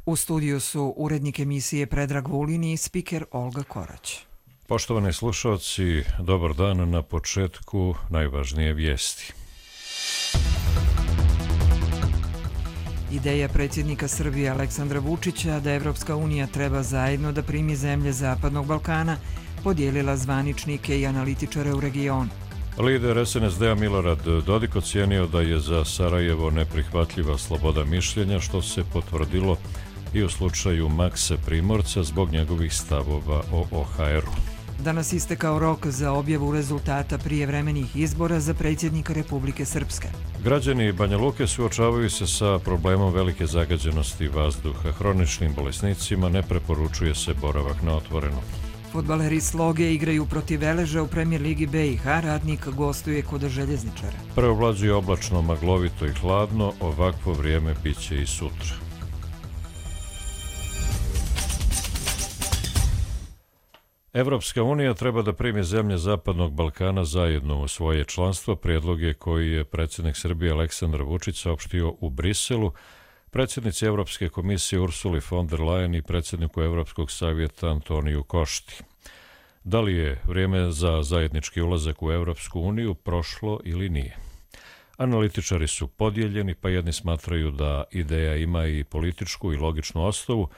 U studiju su urednik emisije Predrag Vulin i spiker Olga Korać. Poštovani slušalci, dobar dan. Na početku najvažnije vijesti. Ideja predsjednika Srbije Aleksandra Vučića da Evropska unija treba zajedno da primi zemlje Zapadnog Balkana podijelila zvaničnike i analitičare u regionu. Lider SNSD-a Milorad Dodik ocijenio da je za Sarajevo neprihvatljiva sloboda mišljenja, što se potvrdilo i u slučaju Makse Primorca zbog njegovih stavova o OHR-u. Danas istekao rok za objavu rezultata prijevremenih izbora za predsjednika Republike Srpske. Građani Banja Luke suočavaju se sa problemom velike zagađenosti vazduha. Hroničnim bolesnicima ne preporučuje se boravak na otvorenom. Fudbaleri Sloge igraju protiv Veleža u Premijer ligi BiH, Radnik gostuje kod Željezničara. Preovlađuje oblačno, maglovito i hladno, ovakvo vrijeme biće i sutra. Evropska unija treba da primi zemlje Zapadnog Balkana zajedno u svoje članstvo. Prijedlog je koji je predsjednik Srbije Aleksandar Vučić saopštio u Briselu predsjednici Evropske komisije Ursuli von der Leyen i predsjedniku Evropskog savjeta Antoniju Košti. Da li je vrijeme za zajednički ulazak u Evropsku uniju prošlo ili nije? Analitičari su podijeljeni, pa jedni smatraju da ideja ima i političku i logičnu osnovu,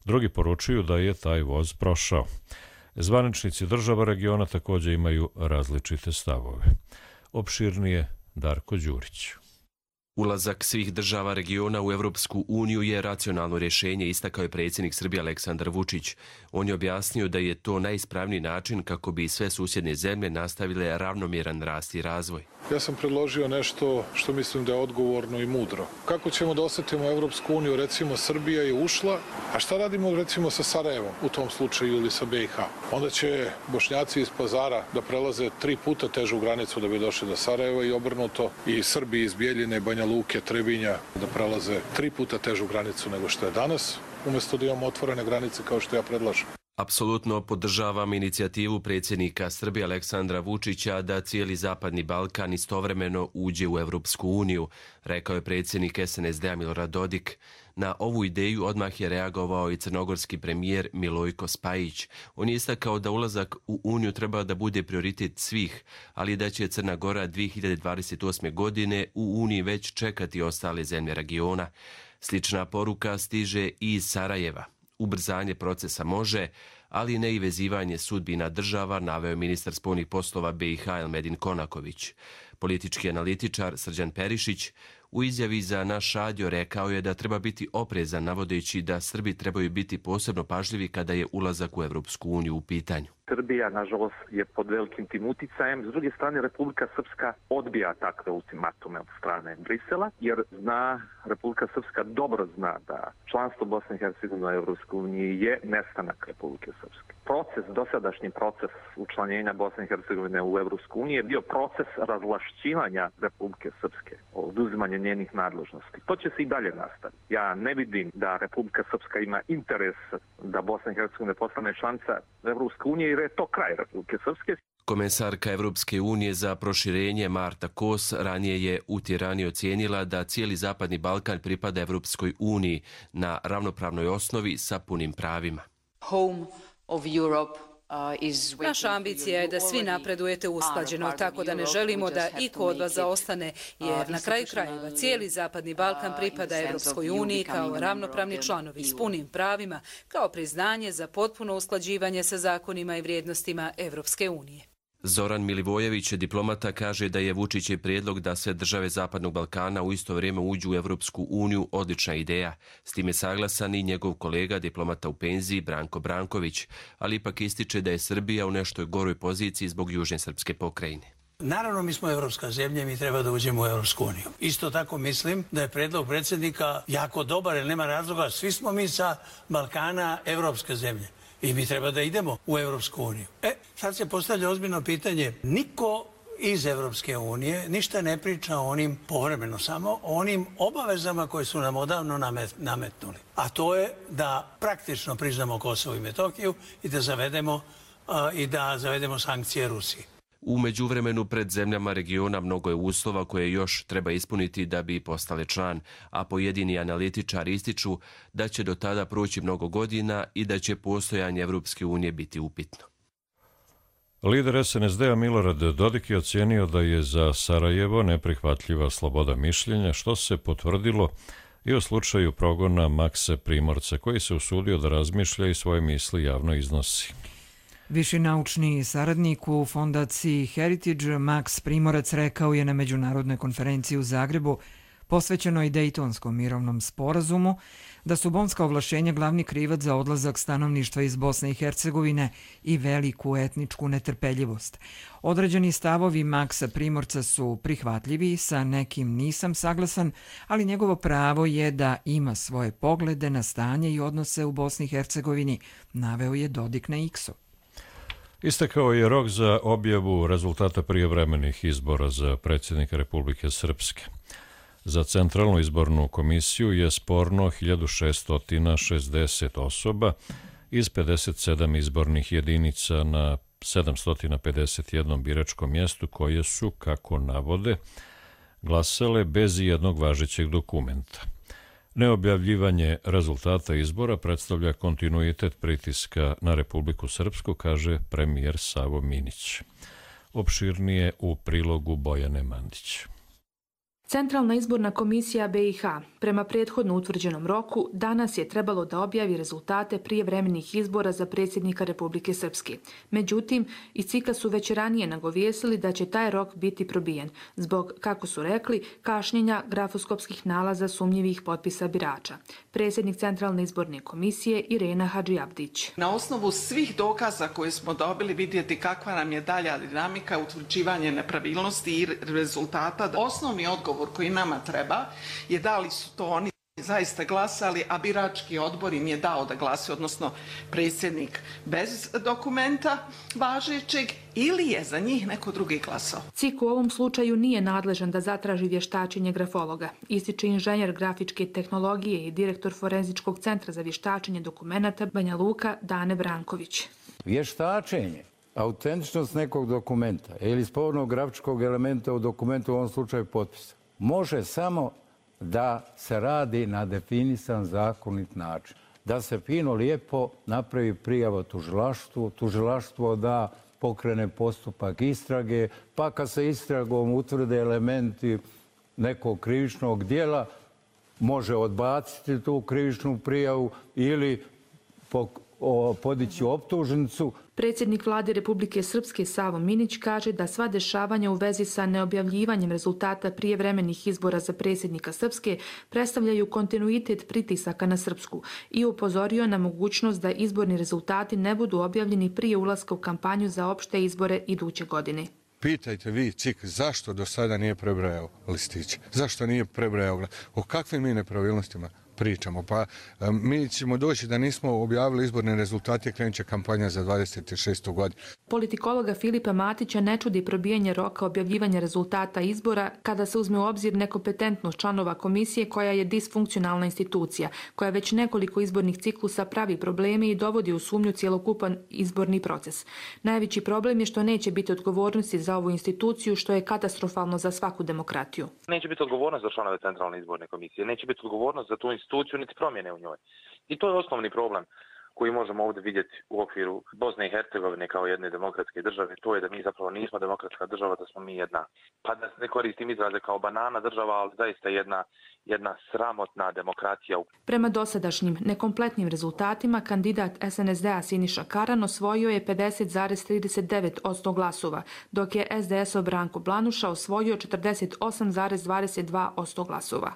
drugi poručuju da je taj voz prošao. Zvaničnici država regiona također imaju različite stavove. Opširnije Darko Đurić. Ulazak svih država regiona u Evropsku uniju je racionalno rješenje, istakao je predsjednik Srbije Aleksandar Vučić. On je objasnio da je to najispravniji način kako bi sve susjedne zemlje nastavile ravnomjeran rast i razvoj. Ja sam predložio nešto što mislim da je odgovorno i mudro. Kako ćemo da osetimo Evropsku uniju, recimo Srbija je ušla, a šta radimo recimo sa Sarajevom u tom slučaju ili sa BiH? Onda će Bošnjaci iz Pazara da prelaze 3 puta težu granicu da bi došli do Sarajeva i obrnuto, i Srbi iz Bijeljine, Banja Luke, Trebinja da prelaze 3 puta težu granicu nego što je danas, umjesto da imamo otvorene granice kao što ja predlažem. Apsolutno podržavam inicijativu predsjednika Srbije Aleksandra Vučića da cijeli Zapadni Balkan istovremeno uđe u Evropsku uniju, rekao je predsjednik SNSD-a Milorad Dodik. Na ovu ideju odmah je reagovao i crnogorski premijer Milojko Spajić. On je istakao da ulazak u Uniju treba da bude prioritet svih, ali da će Crna Gora 2028. godine u Uniji već čekati ostale zemlje regiona. Slična poruka stiže i iz Sarajeva. Ubrzanje procesa može, ali ne i vezivanje sudbina država, naveo ministar spoljnih poslova BiH Elmedin Konaković. Politički analitičar Srđan Perišić u izjavi za naš radio rekao je da treba biti oprezan, navodeći da Srbi trebaju biti posebno pažljivi kada je ulazak u Evropsku uniju u pitanju. Srbija, nažalost, je pod velikim tim uticajem. S druge strane, Republika Srpska odbija takve ultimatume od strane Brisela, jer Republika Srpska dobro zna da članstvo Bosne i Hercegovine u Evropskoj uniji je nestanak Republike Srpske. Dosadašnji proces učlanjenja Bosne i Hercegovine u Evropsku uniju je bio proces razvlašćivanja Republike Srpske, oduzimanje njenih nadležnosti. To će se i dalje nastaviti. Ja ne vidim da Republika Srpska ima interes da Bosna i Hercegovina postane članica Evropske unije, jer je to kraj Republike Srpske. Komesarka Evropske unije za proširenje Marta Kos ranije je u Tirani ocijenila da cijeli Zapadni Balkan pripada Evropskoj uniji na ravnopravnoj osnovi sa punim pravima. Naša ambicija je da svi napredujete usklađeno, tako da ne želimo da iko od vas zaostane, jer na kraju krajeva cijeli Zapadni Balkan pripada Evropskoj uniji kao ravnopravni članovi s punim pravima, kao priznanje za potpuno usklađivanje sa zakonima i vrijednostima Evropske unije. Zoran Milivojević, diplomata, kaže da je Vučićev prijedlog da sve države Zapadnog Balkana u isto vrijeme uđu u Evropsku uniju odlična ideja. S time saglasan i njegov kolega, diplomata u penziji Branko Branković, ali ipak ističe da je Srbija u nešto goroj poziciji zbog južne srpske pokrajine. Naravno, mi smo evropska zemlja i mi treba da uđemo u Evropsku uniju. Isto tako mislim da je predlog predsjednika jako dobar, jer nema razloga. Svi smo mi sa Balkana evropske zemlje. I mi treba da idemo u Evropsku uniju. Sad se postavlja ozbiljno pitanje. Niko iz Evropske unije ništa ne priča o onim, povremeno samo, o onim obavezama koje su nam odavno nametnuli. A to je da praktično priznamo Kosovo i Metohiju i da zavedemo sankcije Rusiji. U međuvremenu pred zemljama regiona mnogo je uslova koje još treba ispuniti da bi postale član, a pojedini analitičari ističu da će do tada proći mnogo godina i da će postojanje Evropske unije biti upitno. Lider SNSD-a Milorad Dodik je ocijenio da je za Sarajevo neprihvatljiva sloboda mišljenja, što se potvrdilo i u slučaju progona Maksa Primorca, koji se usudio da razmišlja i svoje misli javno iznosi. Viši naučni saradnik u fondaciji Heritage Maks Primorac rekao je na međunarodnoj konferenciji u Zagrebu posvećenoj Dejtonskom mirovnom sporazumu da su bonska ovlašćenja glavni krivac za odlazak stanovništva iz Bosne i Hercegovine i veliku etničku netrpeljivost. Određeni stavovi Maksa Primorca su prihvatljivi, sa nekim nisam saglasan, ali njegovo pravo je da ima svoje poglede na stanje i odnose u Bosni i Hercegovini, naveo je Dodik na X-u. Istekao je rok za objavu rezultata prijevremenih izbora za predsjednika Republike Srpske. Za Centralnu izbornu komisiju je sporno 1660 osoba iz 57 izbornih jedinica na 751 biračkom mjestu koje su, kako navode, glasale bez jednog važećeg dokumenta. Neobjavljivanje rezultata izbora predstavlja kontinuitet pritiska na Republiku Srpsku, kaže premijer Savo Minić. Opširnije u prilogu Bojane Mandić. Centralna izborna komisija BiH prema prethodno utvrđenom roku danas je trebalo da objavi rezultate prijevremenih izbora za predsjednika Republike Srpske. Međutim, iz CIK-a su već ranije nagovijestili da će taj rok biti probijen zbog, kako su rekli, kašnjenja grafoskopskih nalaza sumnjivih potpisa birača. Predsjednik Centralne izborne komisije Irena Hadžiabdić. Na osnovu svih dokaza koje smo dobili vidjeti kakva nam je dalja dinamika, utvrđivanje nepravilnosti i rezultata. Osnovni odgovor koji nama treba je da li su to oni zaista glasali, a birački odbor im je dao da glase, odnosno predsjednik bez dokumenta važećeg, ili je za njih neko drugi glasao. CIK u ovom slučaju nije nadležan da zatraži vještačenje grafologa, ističe inženjer grafičke tehnologije i direktor Forenzičkog centra za vještačenje dokumenata Banja Luka Dane Branković. Vještačenje, autentičnost nekog dokumenta ili spornog grafičkog elementa u dokumentu, u ovom slučaju potpisa, može samo da se radi na definisan zakonit način. Da se fino lijepo napravi prijava tužilaštvu, tužilaštvo da pokrene postupak istrage, pa kad se istragom utvrde elementi nekog krivičnog dijela, može odbaciti tu krivičnu prijavu ili podići optužnicu. Predsjednik Vlade Republike Srpske Savo Minić kaže da sva dešavanja u vezi sa neobjavljivanjem rezultata prijevremenih izbora za predsjednika Srpske predstavljaju kontinuitet pritisaka na Srpsku i upozorio na mogućnost da izborni rezultati ne budu objavljeni prije ulaska u kampanju za opšte izbore iduće godine. Pitajte vi, CIK, zašto do sada nije prebrojao listiće? Zašto nije prebrojao glas? O kakvim mi nepravilnostima pričamo? Pa mi ćemo doći da nismo objavili izborne rezultate, krenut će kampanja za 26. godinu. Politikologa Filipa Matića ne čudi probijanje roka objavljivanja rezultata izbora kada se uzme u obzir nekompetentnost članova komisije koja je disfunkcionalna institucija, koja već nekoliko izbornih ciklusa pravi probleme i dovodi u sumnju cjelokupan izborni proces. Najveći problem je što neće biti odgovornosti za ovu instituciju, što je katastrofalno za svaku demokratiju. Neće biti odgovornost za članove Centralne izborne komisije, neće biti odgovornost za tu instituciju niti promjene u njoj. I to je osnovni problem koji možemo ovdje vidjeti u okviru Bosne i Hercegovine kao jedne demokratske države. To je da mi zapravo nismo demokratska država, da smo mi jedna, pa da ne koristim izraze kao banana država, ali zaista jedna sramotna demokracija. Prema dosadašnjim nekompletnim rezultatima, kandidat SNSD-a Siniša Karan osvojio je 50,39% glasova, dok je SDS-ov Branko Blanuša osvojio 48,22% glasova.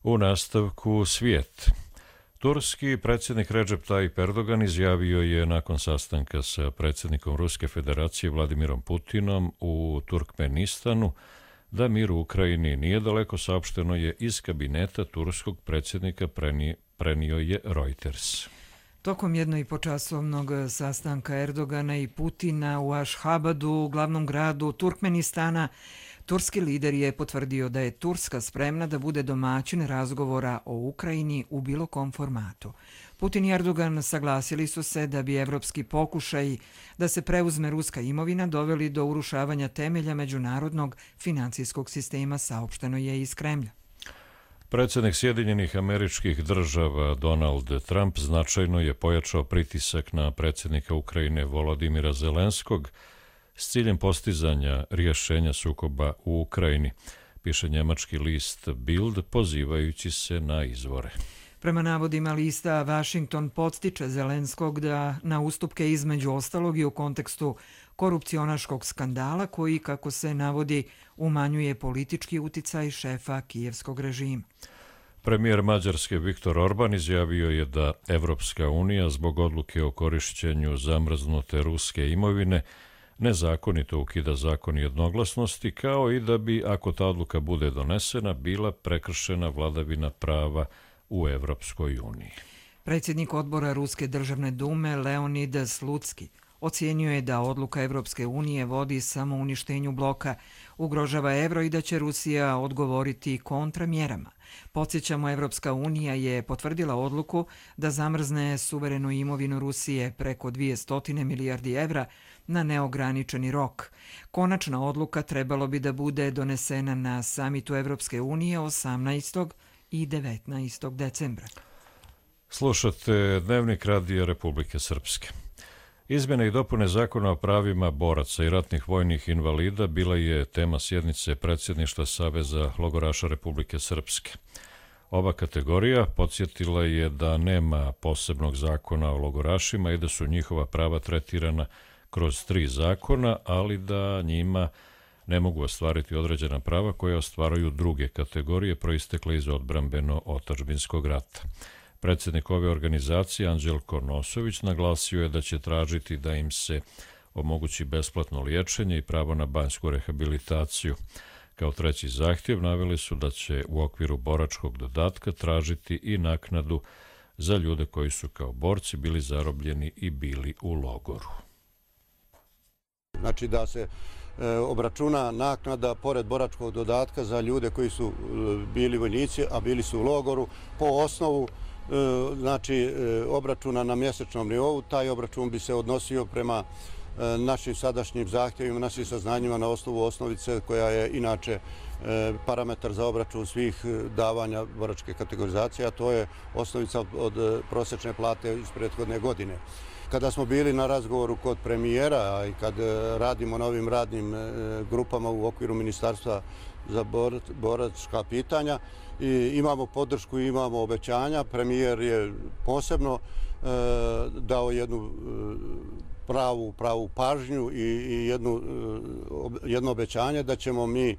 U nastavku svijet. Turski predsjednik Recep Tayyip Erdogan izjavio je nakon sastanka sa predsjednikom Ruske federacije Vladimirom Putinom u Turkmenistanu da mir u Ukrajini nije daleko, saopšteno je iz kabineta turskog predsjednika, prenio je Reuters. Tokom 1,5-časovnog sastanka Erdogana i Putina u Ašhabadu, glavnom gradu Turkmenistana, turski lider je potvrdio da je Turska spremna da bude domaćin razgovora o Ukrajini u bilo kom formatu. Putin i Erdogan saglasili su se da bi evropski pokušaji da se preuzme ruska imovina doveli do urušavanja temelja međunarodnog financijskog sistema, saopšteno je iz Kremlja. Predsjednik Sjedinjenih Američkih Država Donald Trump značajno je pojačao pritisak na predsjednika Ukrajine Volodimira Zelenskog s ciljem postizanja rješenja sukoba u Ukrajini, piše njemački list Bild pozivajući se na izvore. Prema navodima lista, Washington podstiče Zelenskog da na ustupke između ostalog i u kontekstu korupcionaškog skandala koji, kako se navodi, umanjuje politički uticaj šefa kijevskog režima. Premijer Mađarske Viktor Orban izjavio je da Evropska unija zbog odluke o korišćenju zamrznute ruske imovine nezakonito ukida zakon jednoglasnosti, kao i da bi, ako ta odluka bude donesena, bila prekršena vladavina prava u Evropskoj uniji. Predsjednik odbora Ruske državne dume Leonid Slutski ocijenio je da odluka Evropske unije vodi samo uništenju bloka, ugrožava evro i da će Rusija odgovoriti kontramjerama. Podsjećamo, Evropska unija je potvrdila odluku da zamrzne suverenu imovinu Rusije preko 200 milijardi evra na neograničeni rok. Konačna odluka trebalo bi da bude donesena na samitu Evropske unije 18. i 19. decembra. Slušate Dnevnik Radija Republike Srpske. Izmjene i dopune zakona o pravima boraca i ratnih vojnih invalida bila je tema sjednice predsjedništva Saveza logoraša Republike Srpske. Ova kategorija podsjetila je da nema posebnog zakona o logorašima i da su njihova prava tretirana kroz 3 zakona, ali da njima ne mogu ostvariti određena prava koje ostvaruju druge kategorije proistekle iz odbrambeno-otadžbinskog rata. Predsjednik ove organizacije, Anđelko Nosović, naglasio je da će tražiti da im se omogući besplatno liječenje i pravo na banjsku rehabilitaciju. Kao treći zahtjev naveli su da će u okviru boračkog dodatka tražiti i naknadu za ljude koji su kao borci bili zarobljeni i bili u logoru. Znači da se obračuna naknada pored boračkog dodatka za ljude koji su bili vojnici, a bili su u logoru po osnovu znači obračuna na mjesečnom nivou. Taj obračun bi se odnosio prema našim sadašnjim zahtjevima, našim saznanjima na osnovu osnovice koja je inače parametar za obračun svih davanja boračke kategorizacije, a to je osnovica od prosječne plate iz prethodne godine. Kada smo bili na razgovoru kod premijera i kad radimo na ovim radnim grupama u okviru Ministarstva za boračka pitanja, imamo podršku i imamo obećanja. Premijer je posebno dao jednu pravu pažnju i jedno obećanje da ćemo mi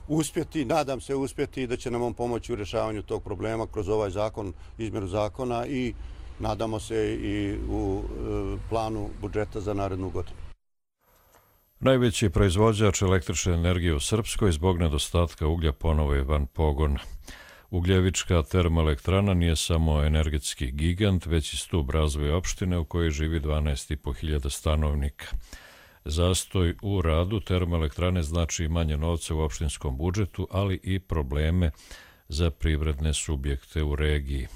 uspjeti, nadam se uspjeti, da će nam on pomoći u rješavanju tog problema kroz ovaj zakon, izmjenu zakona i nadamo se i u planu budžeta za narednu godinu. Najveći proizvođač električne energije u Srpskoj zbog nedostatka uglja ponovo je van pogona. Ugljevička termoelektrana nije samo energetski gigant, već i stub razvoja opštine u kojoj živi 12.500 stanovnika. Zastoj u radu termoelektrane znači manje novca u opštinskom budžetu, ali i probleme za privredne subjekte u regiji.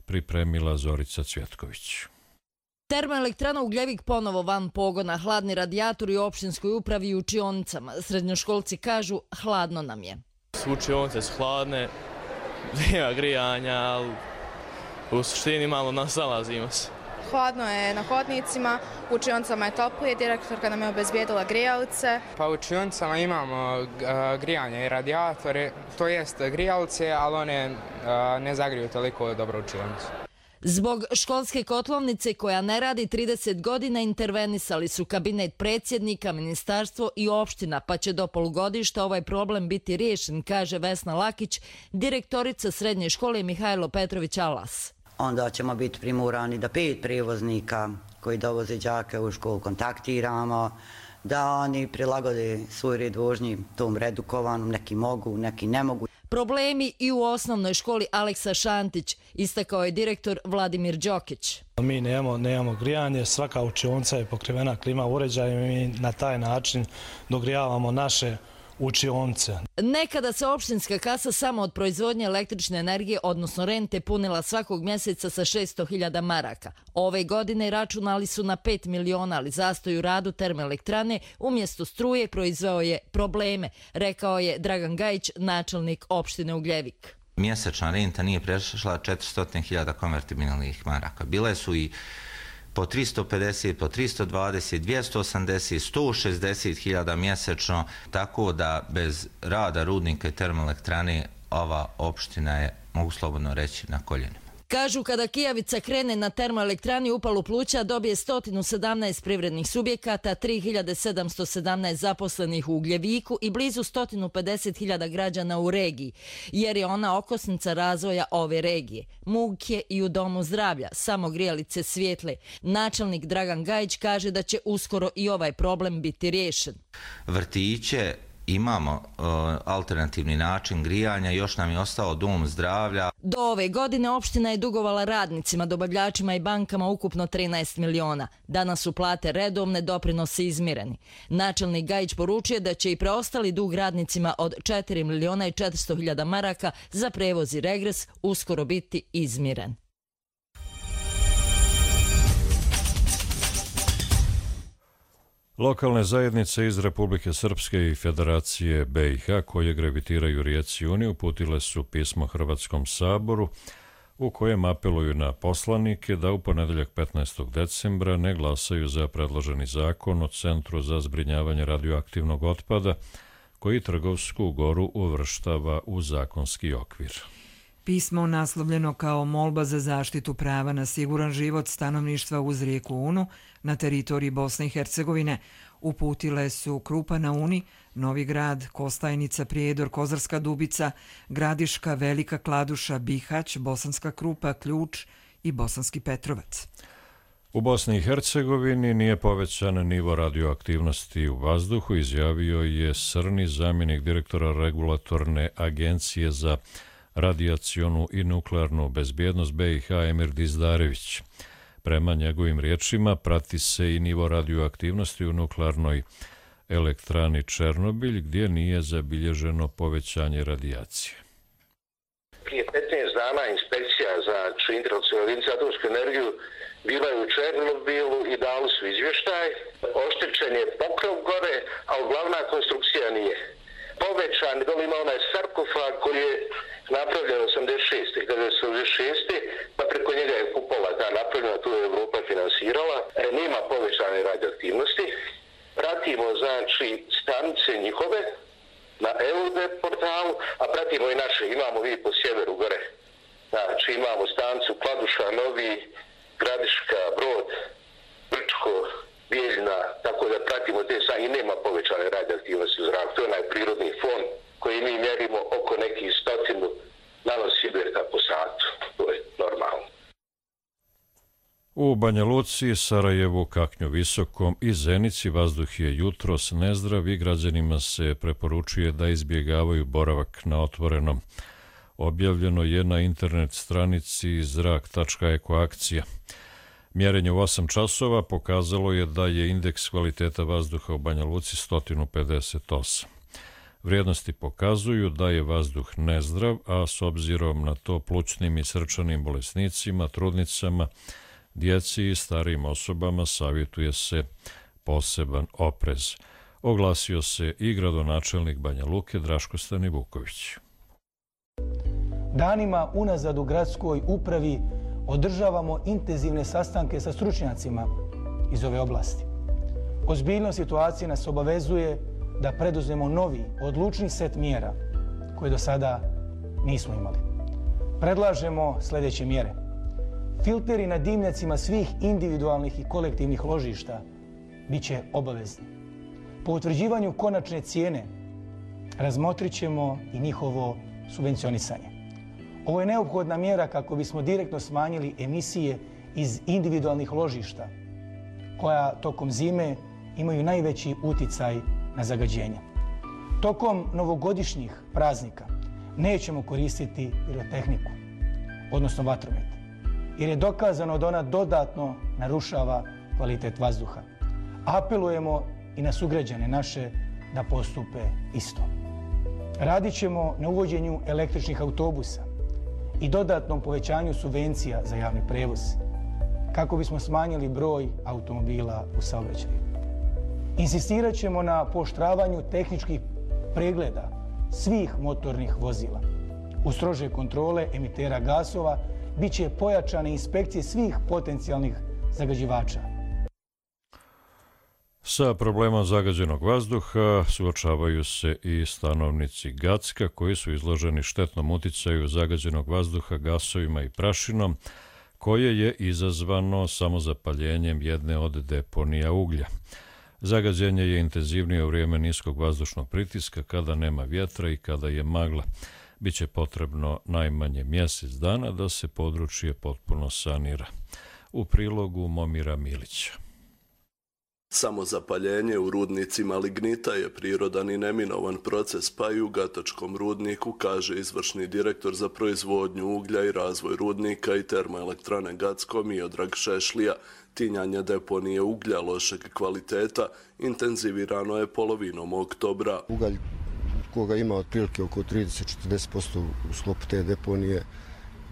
Pripremila Zorica Cvjetković. Termoelektrana Ugljevik ponovo van pogona, hladni radijatori u opštinskoj upravi i učionicama. Srednjoškolci kažu, hladno nam je. Učionice su hladne, nema grijanja, ali u suštini malo nasalazimo se. Hladno je na hodnicima, u učionicama je toplije, direktorka nam je obezbijedila grijalice. Pa u učionicama imamo grijanje i radijatore, to jest grijalice, ali one ne zagriju toliko dobro učionicu. Zbog školske kotlovnice koja ne radi 30 godina intervenisali su kabinet predsjednika, ministarstvo i opština, pa će do polugodišta ovaj problem biti riješen, kaže Vesna Lakić, direktorica srednje škole Mihajlo Petrović Alas. Onda ćemo biti primorani da 5 prijevoznika koji dovoze đake u školu kontaktiramo, da oni prilagode svoj red vožnji tom redukovanom, neki mogu, neki ne mogu. Problemi i u osnovnoj školi Aleksa Šantić, istakao je direktor Vladimir Đokić. Mi nemamo grijanje, svaka učionica je pokrivena klima uređajem i mi na taj način dogrijavamo naše učionice. Nekada se opštinska kasa samo od proizvodnje električne energije, odnosno rente, punila svakog mjeseca sa 600.000 maraka. Ove godine računali su na 5 miliona, ali zastoj u radu termoelektrane umjesto struje proizveo je probleme, rekao je Dragan Gajić, načelnik opštine Ugljevik. Mjesečna renta nije prešla 400.000 konvertibilnih maraka. Bile su i po 350, po 320, 280, 160.000 mjesečno, tako da bez rada rudnika i termoelektrane ova opština je, mogu slobodno reći, na koljenima. Kažu, kada Kijavica krene na termoelektrani Upalu Pluća, dobije 117 privrednih subjekata, 3717 zaposlenih u Ugljeviku i blizu 150.000 građana u regiji, jer je ona okosnica razvoja ove regije. Muk je i u Domu zdravlja, samo grijalice svijetle. Načelnik Dragan Gajić kaže da će uskoro i ovaj problem biti riješen. Vrtiće, imamo alternativni način grijanja, još nam je ostao dom zdravlja. Do ove godine opština je dugovala radnicima, dobavljačima i bankama ukupno 13 miliona. Danas su plate redovne, doprinosi izmireni. Načelnik Gajić poručuje da će i preostali dug radnicima od 4 miliona i 400.000 maraka za prevoz i regres uskoro biti izmiren. Lokalne zajednice iz Republike Srpske i Federacije BiH koje gravitiraju rijeci Uni uputile su pismo Hrvatskom saboru u kojem apeluju na poslanike da u ponedeljak 15. decembra ne glasaju za predloženi zakon o Centru za zbrinjavanje radioaktivnog otpada koji Trgovsku Goru uvrštava u zakonski okvir. Pismo naslovljeno kao molba za zaštitu prava na siguran život stanovništva uz rijeku Unu na teritoriji Bosne i Hercegovine uputile su Krupa na Uni, Novi Grad, Kostajnica, Prijedor, Kozarska Dubica, Gradiška, Velika Kladuša, Bihać, Bosanska Krupa, Ključ i Bosanski Petrovac. U Bosni i Hercegovini nije povećan nivo radioaktivnosti u vazduhu, izjavio je Srni, zamjenik direktora Regulatorne agencije za radijacionu i nuklearnu bezbjednost BiH Emir Dizdarević. Prema njegovim riječima prati se i nivo radioaktivnosti u nuklearnoj elektrani Černobilj gdje nije zabilježeno povećanje radijacije. Prije 15 dana inspekcija za Internacionalnu za atomsku energiju bila je u Černobilu i dali su izvještaj. Oštećen je pokrov gore, a glavna konstrukcija nije. Povećan, dole ima onaj sarkofag koji je napravljen 1986. pa preko njega je kupola ta napravljena, tu je Evropa finansirala. Nema povećane radioaktivnosti. Pratimo, znači, stanice njihove na EUD portalu, a pratimo i naše. Imamo vi po sjeveru gore. Znači, imamo stanicu Kladuša, Novi, Gradiška, Brod, Brčko, Bijeljna, tako da pratimo te i nema povećane radioaktivnosti u zraku. To je onaj prirodni fon koji mi mjerimo oko nekih 100 nanosibirka po satu. To je normalno. U Banja Luci, Sarajevu, Kaknju Visokom i Zenici vazduh je jutros nezdrav i građanima se preporučuje da izbjegavaju boravak na otvorenom. Objavljeno je na internet stranici zrak.ekoakcija. Mjerenje u 8 časova pokazalo je da je indeks kvaliteta vazduha u Banja Luci 158. Vrijednosti pokazuju da je vazduh nezdrav, a s obzirom na to plućnim i srčanim bolesnicima, trudnicama, djeci i starijim osobama savjetuje se poseban oprez. Oglasio se i gradonačelnik Banja Luke Draško Stanivuković. Danima unazad u gradskoj upravi održavamo intenzivne sastanke sa stručnjacima iz ove oblasti. Ozbiljnost situacije nas obavezuje da preduzmemo novi, odlučni set mjera koje do sada nismo imali. Predlažemo sljedeće mjere. Filteri na dimnjacima svih individualnih i kolektivnih ložišta bit će obavezni. Po utvrđivanju konačne cijene razmotrit ćemo i njihovo subvencionisanje. Ovo je neophodna mjera kako bismo direktno smanjili emisije iz individualnih ložišta, koja tokom zime imaju najveći uticaj na zagađenje. Tokom novogodišnjih praznika nećemo koristiti pirotehniku, odnosno vatromet, jer je dokazano da ona dodatno narušava kvalitet vazduha. Apelujemo i na sugrađane naše da postupe isto. Radit ćemo na uvođenju električnih autobusa i dodatnom povećanju subvencija za javni prevoz, kako bismo smanjili broj automobila u saobraćaju. Insistirat ćemo na pooštravanju tehničkih pregleda svih motornih vozila. U strože kontrole emitera gasova bit će pojačane inspekcije svih potencijalnih zagađivača. Sa problemom zagađenog vazduha suočavaju se i stanovnici Gacka koji su izloženi štetnom uticaju zagađenog vazduha gasovima i prašinom koje je izazvano samozapaljenjem jedne od deponija uglja. Zagađenje je intenzivnije u vrijeme niskog vazdušnog pritiska kada nema vjetra i kada je magla. Biće potrebno najmanje mjesec dana da se područje potpuno sanira. U prilogu Momira Milića. Samozapaljenje u rudnicima lignita je prirodan i neminovan proces, pa i u Gatačkom rudniku, kaže izvršni direktor za proizvodnju uglja i razvoj rudnika i termoelektrane Gacko Miodrag Šešlija. Tinjanje deponije uglja lošeg kvaliteta intenzivirano je polovinom oktobra. Ugalj koga ima otprilike oko 30-40% u sklopu te deponije,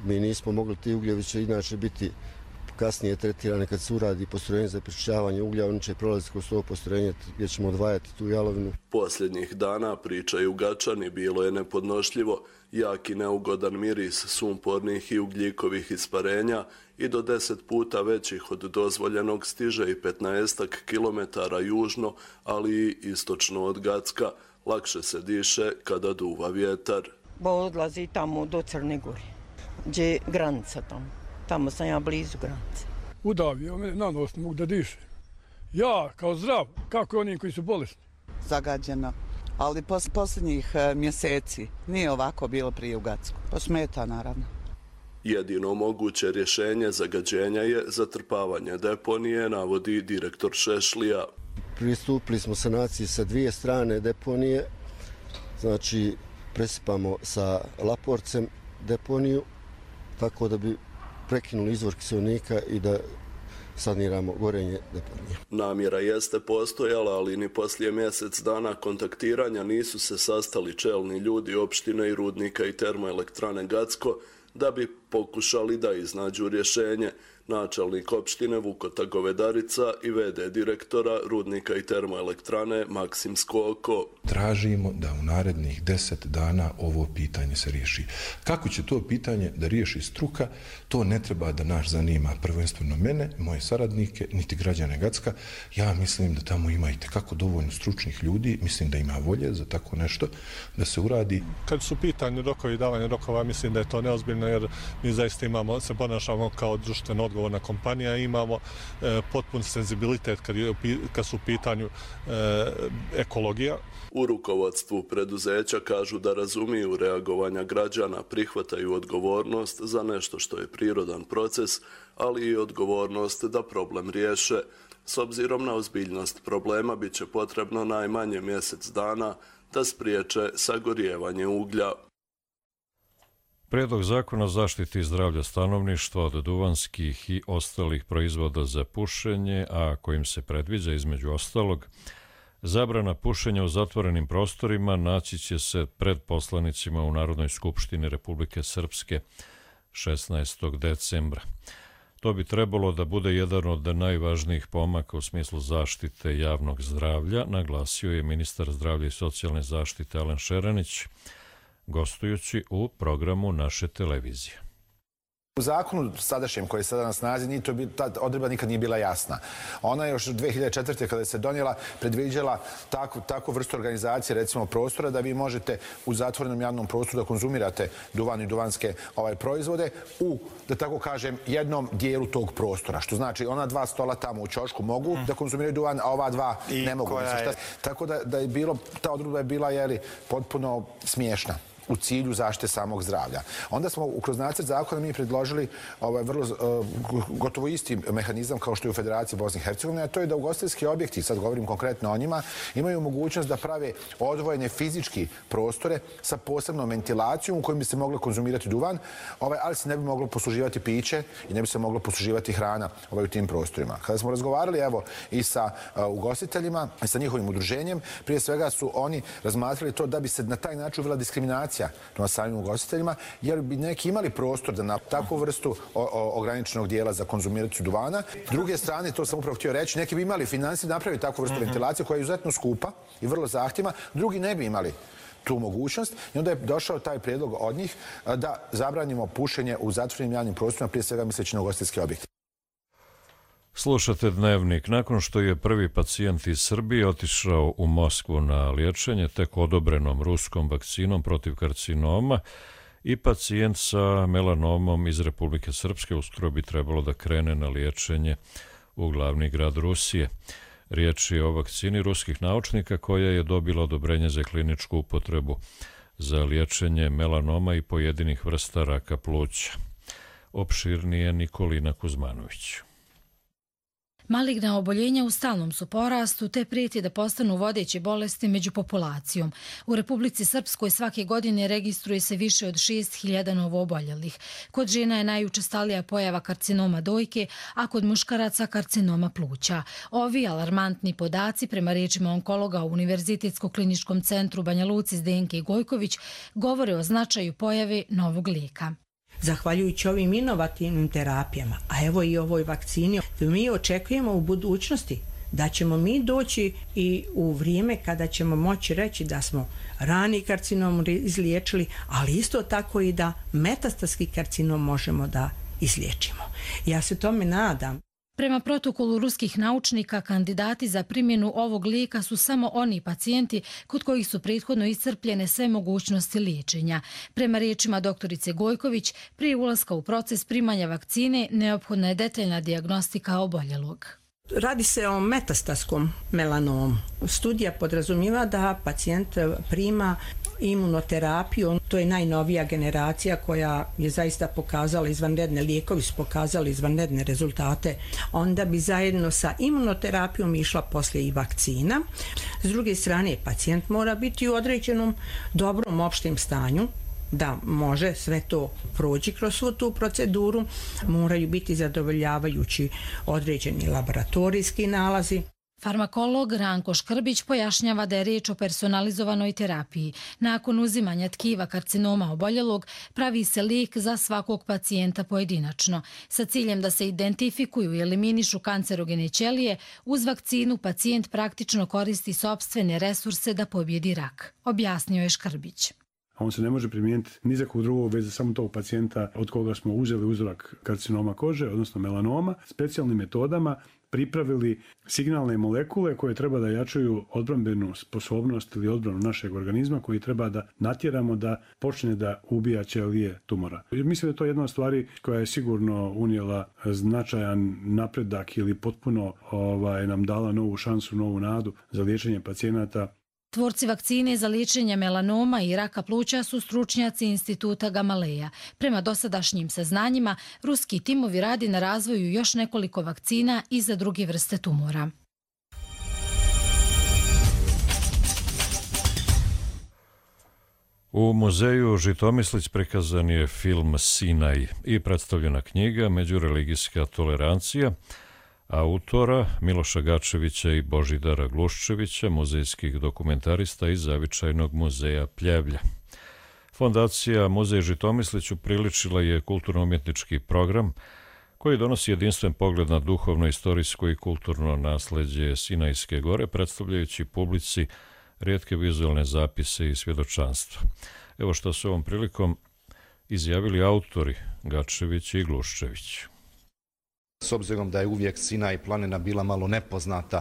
mi nismo mogli, ti ugljevi će inače biti kasnije tretirane kad se uradi postrojenje za prečišćavanje uglja, oni će prolaziti kroz to postrojenje gdje ćemo odvajati tu jalovinu. Posljednjih dana, pričaju Gačani, bilo je nepodnošljivo, jak i neugodan miris sumpornih i ugljikovih isparenja i do 10 puta većih od dozvoljenog stiže i 15 kilometara južno, ali i istočno od Gacka. Lakše se diše kada duva vjetar. Odlazi tamo do Crne Gore, gdje je granica tamo. Tamo sam ja blizu granice. Udavio me na nos, ne mogu da dišem. Ja, kao zdrav, kako i oni koji su bolesni? Zagađeno, ali posljednjih mjeseci nije ovako bilo prije u Gacku. To smeta, naravno. Jedino moguće rješenje zagađenja je zatrpavanje deponije, navodi direktor Šešlija. Pristupili smo sanaciji sa dvije strane deponije, znači presipamo sa Laporcem deponiju, tako da bi prekinuli izvor kiselnika i da saniramo gorenje deponije. Namjera jeste postojala, ali ni poslije mjesec dana kontaktiranja nisu se sastali čelni ljudi opštine i rudnika i termoelektrane Gacko da bi pokušali da iznađu rješenje. Načelnik opštine Vukota Govedarica i VD direktora rudnika i termoelektrane Maksim Skoko. Tražimo da u narednih 10 dana ovo pitanje se riješi. Kako će to pitanje da riješi struka, to ne treba da nas zanima prvenstveno mene, moje saradnike, niti građane Gacka. Ja mislim da tamo ima itekako dovoljno stručnih ljudi, mislim da ima volje za tako nešto da se uradi. Kad su pitanju rokovi i davanje rokova, mislim da je to neozbiljno jer mi zaista se ponašamo kao društveno odgovorna kompanija, imamo potpun senzibilitet kad su u pitanju ekologija. U rukovodstvu preduzeća kažu da razumiju reagovanja građana, prihvataju odgovornost za nešto što je prirodan proces, ali i odgovornost da problem riješe. S obzirom na ozbiljnost problema bit će potrebno najmanje mjesec dana da spriječe sagorijevanje uglja. Prijedlog zakona o zaštiti zdravlja stanovništva od duvanskih i ostalih proizvoda za pušenje, a kojim se predviđa između ostalog zabrana pušenja u zatvorenim prostorima, naći će se pred poslanicima u Narodnoj skupštini Republike Srpske 16. decembra. To bi trebalo da bude jedan od najvažnijih pomaka u smislu zaštite javnog zdravlja, naglasio je ministar zdravlja i socijalne zaštite Alen Šeranić, gostujući u programu naše televizije. U zakonu sadašnjem koji je sada na snazi, ta odredba nikad nije bila jasna. Ona je još 2004. kada se donijela predviđala takvu vrstu organizacije, recimo prostora, da vi možete u zatvorenom javnom prostoru da konzumirate duvan i duvanske proizvode u, da tako kažem, jednom dijelu tog prostora. Što znači, ona dva stola tamo u ćošku mogu da konzumiraju duvan, a ova dva ne mogu. Tako da je bilo, ta odredba je bila potpuno smiješna. u cilju zaštite samog zdravlja. Onda smo kroz nacrt zakona mi predložili vrlo gotovo isti mehanizam kao što je u Federaciji Bosne i Hercegovine, a to je da ugostiteljski objekti, sad govorim konkretno o njima, imaju mogućnost da prave odvojene fizički prostore sa posebnom ventilacijom u kojim bi se moglo konzumirati duvan, ali se ne bi moglo posluživati piće i ne bi se moglo posluživati hrana u tim prostorima. Kada smo razgovarali i sa ugostiteljima i sa njihovim udruženjem, prije svega su oni razmatrali to da bi se na taj način uvela diskriminacija prema samim ugostiteljima, jer bi neki imali prostor da na takvu vrstu ograničenog dijela za konzumiraciju duvana. S druge strane, to sam upravo htio reći, neki bi imali financije da napravi takvu vrstu ventilacije koja je izuzetno skupa i vrlo zahtjevna, drugi ne bi imali tu mogućnost i onda je došao taj prijedlog od njih da zabranimo pušenje u zatvorenim javnim prostorima, prije svega misleći na ugostiteljske objekte. Slušate Dnevnik. Nakon što je prvi pacijent iz Srbije otišao u Moskvu na liječenje tek odobrenom ruskom vakcinom protiv karcinoma, i pacijent sa melanomom iz Republike Srpske uskoro bi trebalo da krene na liječenje u glavni grad Rusije. Riječ je o vakcini ruskih naučnika koja je dobila odobrenje za kliničku upotrebu za liječenje melanoma i pojedinih vrsta raka pluća. Opširnije Nikolina Kuzmanović. Maligna oboljenja u stalnom su porastu te prijeti da postanu vodeće bolesti među populacijom. U Republici Srpskoj svake godine registruje se više od 6.000 novooboljelih. Kod žena je najučestalija pojava karcinoma dojke, a kod muškaraca karcinoma pluća. Ovi alarmantni podaci, prema riječima onkologa u Univerzitetskog kliničkom centru Banja Luci Zdenke Gojković, govore o značaju pojave novog lijeka. Zahvaljujući ovim inovativnim terapijama, a evo i ovoj vakcini, mi očekujemo u budućnosti da ćemo mi doći i u vrijeme kada ćemo moći reći da smo rani karcinom izliječili, ali isto tako i da metastatski karcinom možemo da izliječimo. Ja se tome nadam. Prema protokolu ruskih naučnika, kandidati za primjenu ovog lijeka su samo oni pacijenti kod kojih su prethodno iscrpljene sve mogućnosti liječenja. Prema riječima doktorice Gojković, prije ulaska u proces primanja vakcine neophodna je detaljna dijagnostika oboljelog. Radi se o metastatskom melanomu. Studija podrazumijeva da pacijent prima imunoterapiju. To je najnovija generacija koja je zaista pokazala izvanredne, lijekovi su pokazali izvanredne rezultate. Onda bi zajedno sa imunoterapijom išla poslije i vakcina. S druge strane, pacijent mora biti u određenom dobrom opštem stanju, da može sve to proći kroz svu tu proceduru, moraju biti zadovoljavajući određeni laboratorijski nalazi. Farmakolog Ranko Škrbić pojašnjava da je riječ o personalizovanoj terapiji. Nakon uzimanja tkiva karcinoma oboljelog pravi se lijek za svakog pacijenta pojedinačno. Sa ciljem da se identifikuju i eliminišu kancerogene ćelije, uz vakcinu pacijent praktično koristi sopstvene resurse da pobjedi rak, objasnio je Škrbić. On se ne može primijeniti ni za kog drugog već za samo tog pacijenta od koga smo uzeli uzorak karcinoma kože, odnosno melanoma, specijalnim metodama pripravili signalne molekule koje treba da jačaju odbrambenu sposobnost ili odbranu našeg organizma, koji treba da natjeramo da počne da ubija ćelije tumora. Mislim da je to jedna od stvari koja je sigurno unijela značajan napredak ili potpuno nam dala novu šansu, novu nadu za liječenje pacijenata. Tvorci vakcine za liječenje melanoma i raka pluća su stručnjaci instituta Gamaleja. Prema dosadašnjim saznanjima, ruski timovi radi na razvoju još nekoliko vakcina i za druge vrste tumora. U muzeju Žitomislić prikazan je film Sinaj i predstavljena knjiga Međureligijska tolerancija autora Miloša Gačevića i Božidara Gluščevića, muzejskih dokumentarista iz Zavičajnog muzeja Pljevlja. Fondacija Muzej Žitomislić upriličila je kulturno-umjetnički program koji donosi jedinstven pogled na duhovno, istorijsko i kulturno nasleđe Sinajske gore, predstavljajući publici rijetke vizualne zapise i svjedočanstva. Evo što su ovom prilikom izjavili autori Gačević i Gluščević. S obzirom da je uvijek Sinaj planina bila malo nepoznata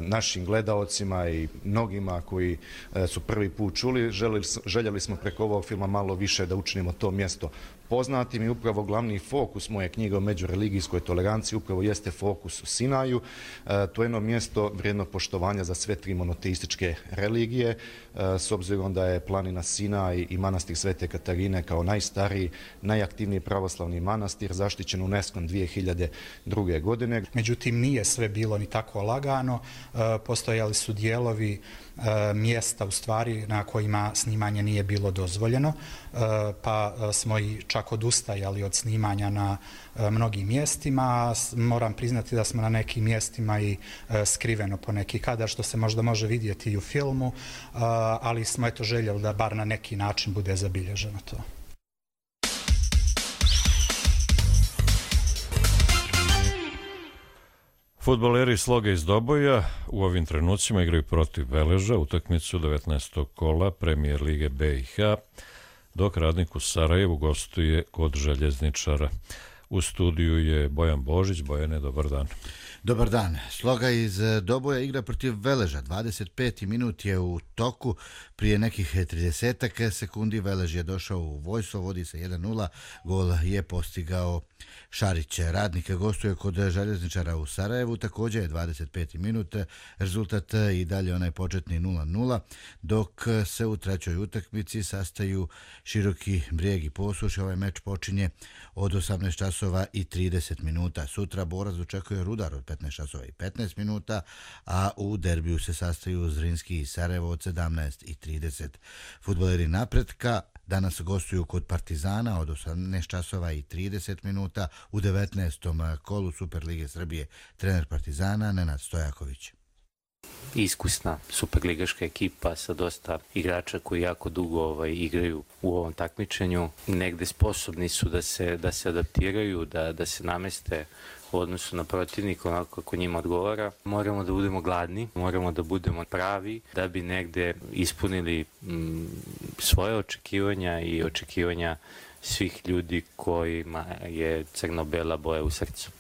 našim gledaocima i mnogima koji su prvi put čuli, željeli smo preko ovog filma malo više da učinimo to mjesto poznatim i upravo glavni fokus moje knjige o međureligijskoj toleranciji upravo jeste fokus u Sinaju. To je jedno mjesto vrijedno poštovanja za sve tri monoteističke religije, s obzirom da je planina Sinaj i manastir Svete Katarine kao najstariji, najaktivniji pravoslavni manastir zaštićen UNESCO 2002. godine. Međutim, nije sve bilo ni tako lagano. Postojali su dijelovi mjesta u stvari na kojima snimanje nije bilo dozvoljeno, pa smo i čak odustajali od snimanja na mnogim mjestima. Moram priznati da smo na nekim mjestima i skriveno po neki kadar, što se možda može vidjeti i u filmu, ali smo eto željeli da bar na neki način bude zabilježeno to. Fudbaleri Sloga iz Doboja u ovim trenucima igraju protiv Veleža utakmicu 19. kola Premijer Lige BiH, dok Radnik u Sarajevu gostuje kod Željezničara. U studiju je Bojan Božić. Bojane, dobar dan. Dobar dan. Sloga iz Doboja igra protiv Veleža. 25. minut je u toku. Prije nekih 30 sekundi Velež je došao u vojstvo, vodi se 1-0. Gol je postigao Šarić. Radnik gostuje kod Željezničara u Sarajevu. Također je 25. minut. Rezultat i dalje onaj početni 0-0, dok se u trećoj utakmici sastaju Široki Brijeg i Posuš. Ovaj meč počinje od 18 časova i 30 minuta. Sutra borac očekuje Rudar od 15 časova i 15 minuta, a u derbiju se sastaju Zrinski i Sarajevo od 17 i 30. Fudbaleri Napretka danas gostuju kod Partizana od 18 časova i 30 minuta u 19. kolu Superlige Srbije. Trener Partizana Nenad Stojaković. Iskusna superligaška ekipa sa dosta igrača koji jako dugo igraju u ovom takmičenju. Negde sposobni su da se adaptiraju, da se nameste u odnosu na protivnika onako kako njima odgovara. Moramo da budemo gladni, moramo da budemo pravi da bi negde ispunili svoje očekivanja i očekivanja svih ljudi kojima je crno-bela boja u srcu.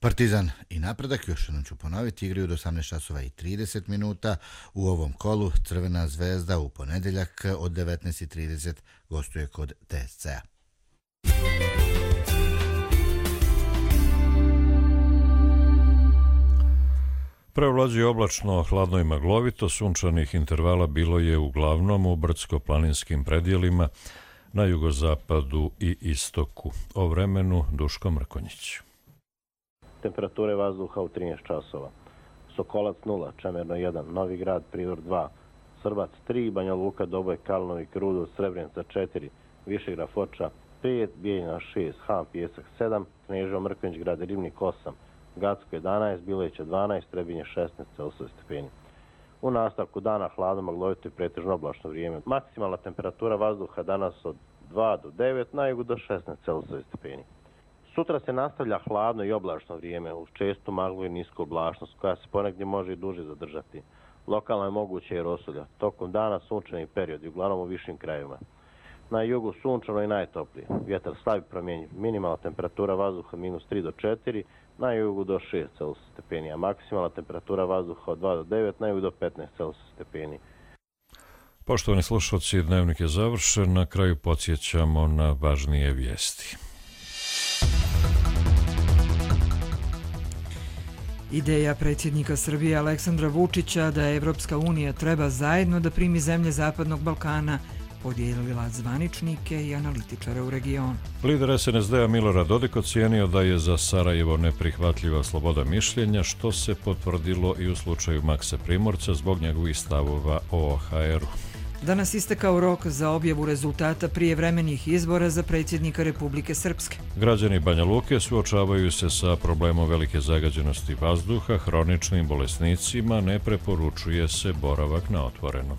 Partizan i Napredak, još jednom ću ponoviti, igraju do 18 časova i 30 minuta. U ovom kolu Crvena zvezda u ponedjeljak od 19:30 gostuje kod TSC-a. Prevlađuje oblačno, hladno i maglovito, sunčanih intervala bilo je uglavnom u brdsko-planinskim predjelima na jugozapadu i istoku. O vremenu Duško Mrkonjić. Temperature vazduha u 13 časova. Sokolac 0, Čemerno 1, Novi Grad, Privor 2, Srbac 3, Banja Luka, Doboj, Kalnovik, Rudo, Srebrenica 4, Višegrad, Foča 5, Bijeljina 6, Han, Pijesak 7, Kneževo, Mrkonjić, Grad, Ribnik 8, Gacko 11, Bileća 12, Trebinje 16 Celsius stepeni. U nastavku dana hladno, maglovito i pretežno oblačno vrijeme. Maksimalna temperatura vazduha danas od 2 do 9, na jugu do 16 Celsius stepeni. Sutra se nastavlja hladno i oblačno vrijeme uz čestu maglu i nisku oblačnost koja se ponegdje može i duže zadržati. Lokalno je moguće i rosulja. Tokom dana sunčani period i uglavnom u višim krajevima. Na jugu sunčano i najtoplije. Vjetar slab i promjenjiv. Minimalna temperatura vazduha -3 do 4, na jugu do 6 Celsius stepeni, a maksimalna temperatura vazduha od 2 do 9, na jugu do 15 Celsius stepeni. Poštovani slušalci, dnevnik je završen. Na kraju podsjećamo na važnije vijesti. Ideja predsjednika Srbije Aleksandra Vučića da Evropska unija treba zajedno da primi zemlje Zapadnog Balkana podijelila zvaničnike i analitičare u regionu. Lider SNSD-a Milorad Dodik ocijenio da je za Sarajevo neprihvatljiva sloboda mišljenja, što se potvrdilo i u slučaju Maksa Primorca zbog njegovih stavova o OHR-u. Danas istekao rok za objavu rezultata prijevremenih izbora za predsjednika Republike Srpske. Građani Banja Luke suočavaju se sa problemom velike zagađenosti vazduha, hroničnim bolesnicima ne preporučuje se boravak na otvorenom.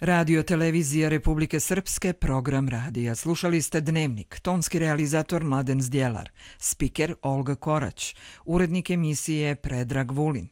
Radio Televizija Republike Srpske, program radija. Slušali ste Dnevnik, tonski realizator Mladen Zdjelar, spiker Olga Korać, urednik emisije Predrag Vulin.